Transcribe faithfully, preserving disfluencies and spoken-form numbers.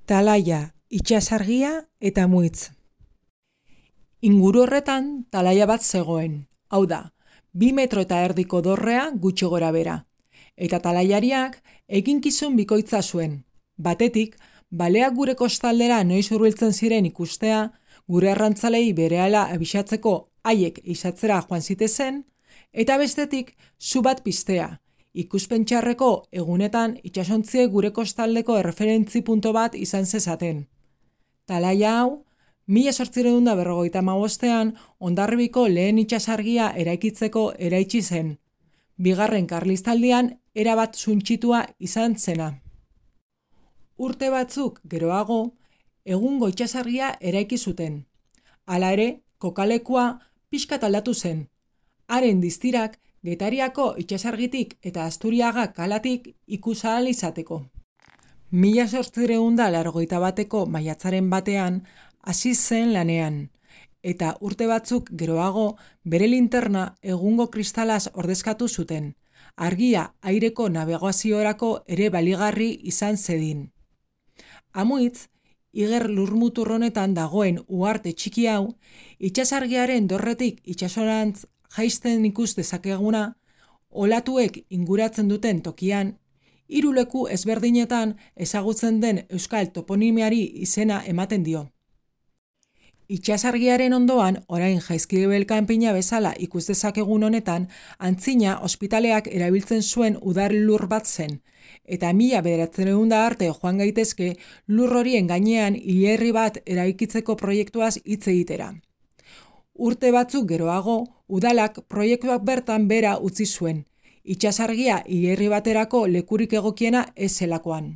Talaia, itsasargia eta muitz. Inguru horretan talaia bat zegoen, hau da, bi metro eta erdiko dorrea gutxi gora bera. Eta talaiariak eginkizun bikoitza zuen. Batetik, baleak gure kostaldera noiz hurbiltzen ziren ikustea, gure arrantzalei berehala abisatzeko haiek izatzera joan zitezen, eta bestetik, zu bat piztea, ikuspen txarreko egunetan itsasontziek gure kostaldeko erreferentzi punto bat izan zezaten. Talaia hau, mila zortziehun eta berrogeita hamabostean Hondarribiko lehen itsasargia eraikitzeko eraitsi zen. Bigarren Karlistaldian erabat suntsitua izan zena. Urte batzuk geroago, egungo itsasargia eraiki zuten. Hala ere, kokalekua pixkat aldatu zen. Haren distirak Getariako itsasargitik eta Asturiaga kalatik ikus ahal izateko. Mila zortziehun eta laurogeita bateko maiatzaren batean hasi zen lanean, eta urte batzuk geroago bere linterna egungo kristalaz ordezkatu zuten, argia aireko nabigaziorako ere baligarri izan zedin. Amuitz, Iger lurmutur honetan dagoen uharte txiki hau, itsasargiaren dorretik itsasorantz jaisten ikus dezakeguna, olatuek inguratzen duten tokian, hiru leku ezberdinetan ezagutzen den euskal toponimiari izena ematen dio. Itsasargiaren ondoan, orain Jaizkibel kanpina bezala ikus dezakegun honetan, antzina ospitaleak erabiltzen zuen udar lur bat zen, eta mila bederatziehun arte joan gaitezke lur horien gainean hilerri bat eraikitzeko proiektuaz hitz egitera. Urte batzuk geroago, udalak proiektuak bertan bera utzi zuen, itsasargia hilerri baterako lekurik egokiena ez zelakoan.